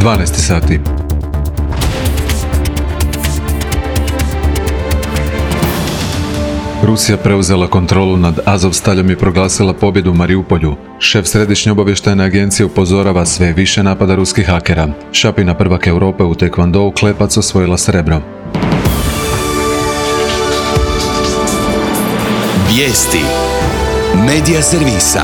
12 sati. Rusija preuzela kontrolu nad Azovstaljom i proglasila pobjedu u Mariupolju. Šef Središnje obavještajne agencije upozorava sve više napada ruskih hakera. Šapina prvak Europe u tekvondou Klepac osvojila srebro. Vijesti Medija servisa.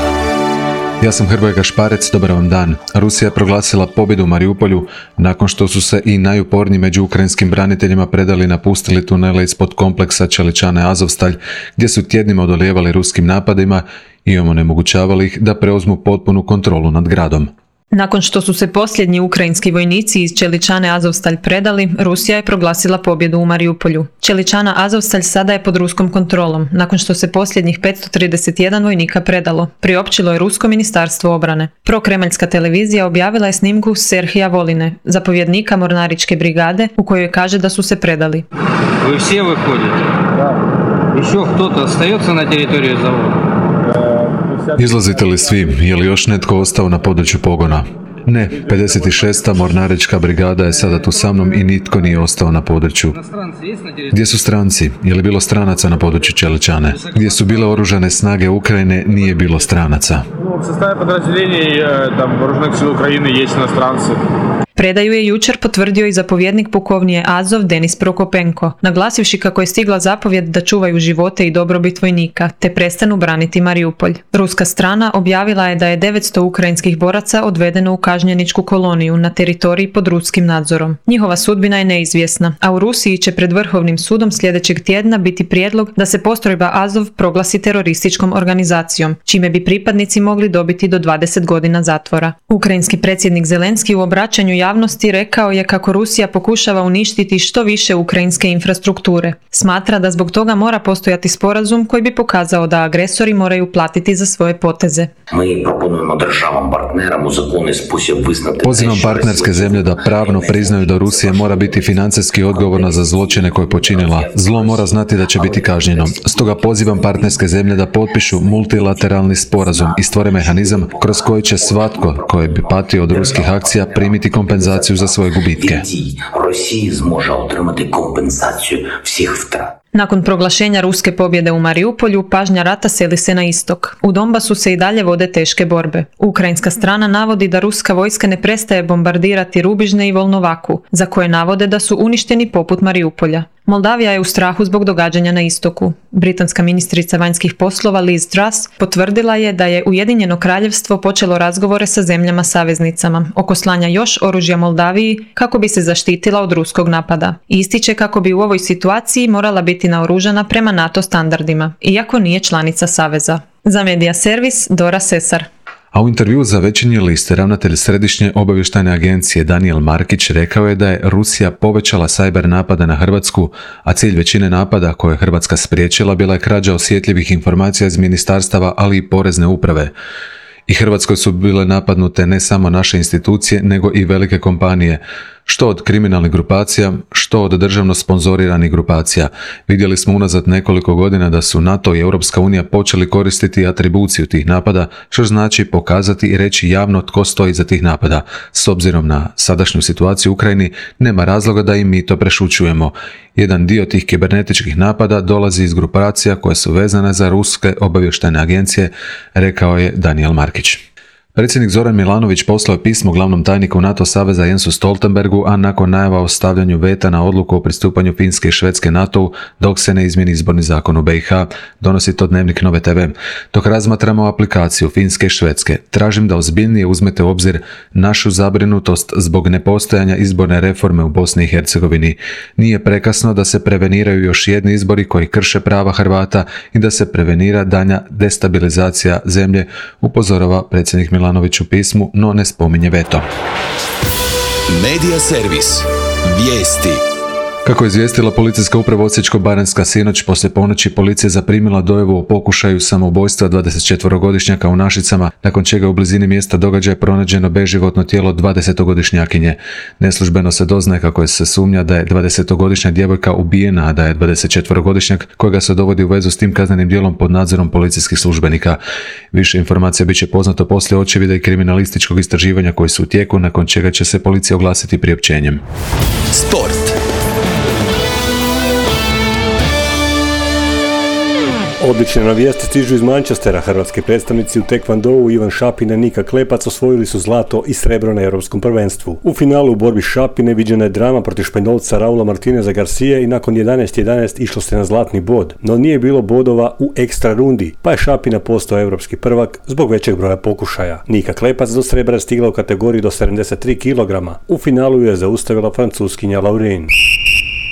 Ja sam Hrvoje Gašparec, dobar vam dan. Rusija je proglasila pobjedu u Mariupolju nakon što su se i najuporniji među ukrajinskim braniteljima predali napustili tunele ispod kompleksa Čeličane Azovstalj, gdje su tjednima odolijevali ruskim napadima i onemogućavali ih da preuzmu potpunu kontrolu nad gradom. Nakon što su se posljednji ukrajinski vojnici iz Čeličane Azovstalj predali, Rusija je proglasila pobjedu u Mariupolju. Čeličana Azovstalj sada je pod ruskom kontrolom, nakon što se posljednjih 531 vojnika predalo, priopćilo je Rusko ministarstvo obrane. Prokremaljska televizija objavila je snimku Serhija Voline, zapovjednika mornaričke brigade, u kojoj kaže da su se predali. Vi svi vyходite? Da. Еще кто-то остается на территории завода? Izlazite li svi? Je li još netko ostao na području pogona? Ne, 56. mornarička brigada je sada tu sa mnom i nitko nije ostao na području. Gdje su stranci? Je li bilo stranaca na području Čeličane? Gdje su bile oružane snage Ukrajine, nije bilo stranaca. U sastavu podrazdeljenja oružanih sila Ukrajine jesu inostranci. Predaju je jučer potvrdio i zapovjednik pukovnije Azov Denis Prokopenko, naglasivši kako je stigla zapovjed da čuvaju živote i dobrobit vojnika, te prestanu braniti Mariupolj. Ruska strana objavila je da je 900 ukrajinskih boraca odvedeno u kažnjeničku koloniju na teritoriji pod ruskim nadzorom. Njihova sudbina je neizvjesna, a u Rusiji će pred Vrhovnim sudom sljedećeg tjedna biti prijedlog da se postrojba Azov proglasi terorističkom organizacijom, čime bi pripadnici mogli dobiti do 20 godina zatvora. Ukrajinski predsjednik Zelenski u obraćanju javnosti rekao je kako Rusija pokušava uništiti što više ukrajinske infrastrukture. Smatra da zbog toga mora postojati sporazum koji bi pokazao da agresori moraju platiti za svoje poteze. Pozivam partnerske zemlje da pravno priznaju da Rusija mora biti financijski odgovorna za zločine koje je počinila. Zlo mora znati da će biti kažnjeno. Stoga pozivam partnerske zemlje da potpišu multilateralni sporazum i stvore mehanizam kroz koji će svatko koji bi patio od ruskih akcija primiti kompenzaciju za svoje gubitke. Nakon proglašenja ruske pobjede u Mariupolju, pažnja rata seli se na istok. U Donbasu se i dalje vode teške borbe. Ukrajinska strana navodi da ruska vojska ne prestaje bombardirati Rubižne i Volnovaku, za koje navode da su uništeni poput Mariupolja. Moldavija je u strahu zbog događanja na istoku. Britanska ministrica vanjskih poslova Liz Truss potvrdila je da je Ujedinjeno kraljevstvo počelo razgovore sa zemljama saveznicama oko slanja još oružja Moldaviji kako bi se zaštitila od ruskog napada. Ističe kako bi u ovoj situaciji morala biti naoružana prema NATO standardima, iako nije članica saveza. Za Medija servis Dora Sesar. A u intervjuu za Večernji list ravnatelj Središnje obavještajne agencije Daniel Markić rekao je da je Rusija povećala sajber napade na Hrvatsku, a cilj većine napada koje je Hrvatska spriječila bila je krađa osjetljivih informacija iz ministarstava, ali i porezne uprave. I Hrvatskoj su bile napadnute ne samo naše institucije, nego i velike kompanije, što od kriminalnih grupacija, što od državno sponzoriranih grupacija. Vidjeli smo unazad nekoliko godina da su NATO i Europska unija počeli koristiti atribuciju tih napada, što znači pokazati i reći javno tko stoji iza tih napada. S obzirom na sadašnju situaciju u Ukrajini, nema razloga da i mi to prešućujemo. Jedan dio tih kibernetičkih napada dolazi iz grupacija koje su vezane za ruske obavještajne agencije, rekao je Daniel Markić. Predsjednik Zoran Milanović poslao je pismo glavnom tajniku NATO saveza Jensu Stoltenbergu, a nakon najava o stavljanju veta na odluku o pristupanju Finske i Švedske NATO-u dok se ne izmijeni izborni zakon u BiH, donosi to Dnevnik Nove TV. Dok razmatramo aplikaciju Finske i Švedske, tražim da ozbiljnije uzmete u obzir našu zabrinutost zbog nepostojanja izborne reforme u Bosni i Hercegovini. Nije prekasno da se preveniraju još jedni izbori koji krše prava Hrvata i da se prevenira daljnja destabilizacija zemlje, upozorava predsjednik Milanović u pismu, no ne spominje veto. Medija servis. Vijesti. Kako je izvijestila policijska uprava Osječko-baranjska, sinoć poslije ponoći policija zaprimila dojavu o pokušaju samoubojstva 24-godišnjaka u Našicama, nakon čega u blizini mjesta događaja pronađeno beživotno tijelo 20-godišnjakinje. Neslužbeno se doznaje kako se sumnja da je 20-godišnja djevojka ubijena, a da je 24-godišnjak kojega se dovodi u vezu s tim kaznenim djelom pod nadzorom policijskih službenika. Više informacija bit će poznato poslije očevida i kriminalističkog istraživanja koji su u tijeku, nakon čega će se policija oglasiti priopćenjem. Sport. Odlične navijesti stižu iz Manchestera. Hrvatski predstavnici u tekvondou Ivan Šapina i Nika Klepac osvojili su zlato i srebro na Europskom prvenstvu. U finalu u borbi Šapine viđena je drama protiv Španjolca Raula Martineza Garcije i nakon 11:11 išlo se na zlatni bod, no nije bilo bodova u ekstra rundi, pa je Šapina postao europski prvak zbog većeg broja pokušaja. Nika Klepac do srebra je stigla u kategoriji do 73 kg. U finalu je zaustavila Francuskinja Laurin.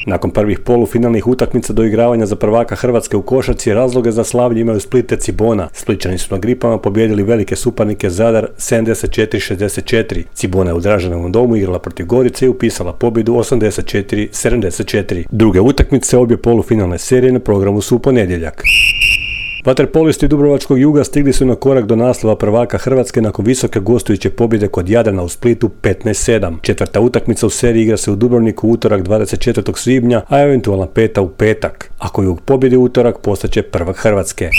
Nakon prvih polufinalnih utakmica do igravanja za prvaka Hrvatske u košarci, razloge za slavlje imaju Split i Cibona. Splićani su na Gripama pobijedili velike suparnike Zadar 74-64. Cibona je u Draženovom domu igrala protiv Gorice i upisala pobjedu 84-74. Druge utakmice obje polufinalne serije na programu su u ponedjeljak. Vaterpolisti Dubrovačkog Juga stigli su na korak do naslova prvaka Hrvatske nakon visoke gostujuće pobjede kod Jadrana u Splitu 15-7. Četvrta utakmica u seriji igra se u Dubrovniku utorak 24. svibnja, a eventualna peta u petak. Ako Jug pobjedi utorak, postaće prvak Hrvatske.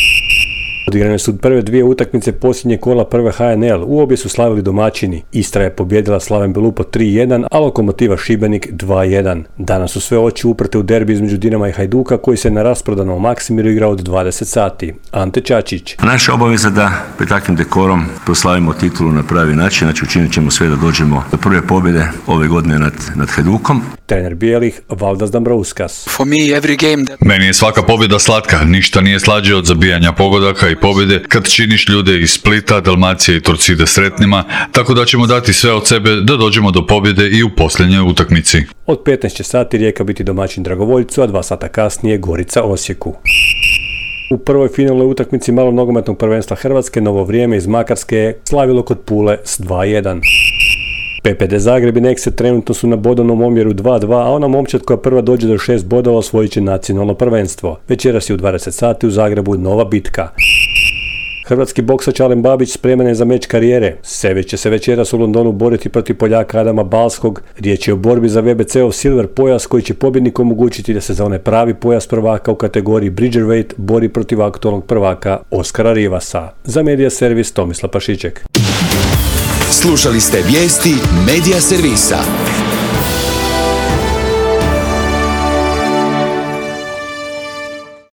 Odigrane su prve dvije utakmice posljednje kola prve HNL, u obje su slavili domaćini. Istra je pobjedila Slaven Belupo 3-1, a Lokomotiva Šibenik 2-1. Danas su sve oči uprte u derbi između Dinama i Hajduka koji se na rasprodanom Maksimiru igra od 20 sati. Ante Čačić. Naša obaveza da pred takvim dekorom proslavimo titulu na pravi način, znači učinit ćemo sve da dođemo do prve pobjede ove godine nad Hajdukom. Trener bijelih Valdas Dambrauskas. Meni je svaka pobjeda slatka, ništa nije slađe od zabijanja pogodaka i pobjede kad činiš ljude iz Splita, Dalmacije i Torcide sretnima, tako da ćemo dati sve od sebe da dođemo do pobjede i u posljednjoj utakmici. Od 15 će sati Rijeka biti domaćin Dragovoljcu, a 2 sata kasnije Gorica Osijeku. U prvoj finalnoj utakmici malog nogometnog prvenstva Hrvatske Novo Vrijeme iz Makarske je slavilo kod Pule s 2-1. PPD Zagreb i Nexe trenutno su na bodovnom omjeru 2-2, a ona momčad koja prva dođe do 6 bodova osvojit će nacionalno prvenstvo. Večeras je u 20 sati u Zagrebu nova bitka. Hrvatski boksač Alen Babić spreman je za meč karijere. Sević će se večeras u Londonu boriti protiv Poljaka Adama Balskog. Riječ je o borbi za WBC-ov silver pojas koji će pobjedniku omogućiti da se za onaj pravi pojas prvaka u kategoriji Bridgerweight bori protiv aktualnog prvaka Oskara Rivasa. Za Medija Servis Tomislav Pašiček. Slušali ste vijesti Medija Servisa.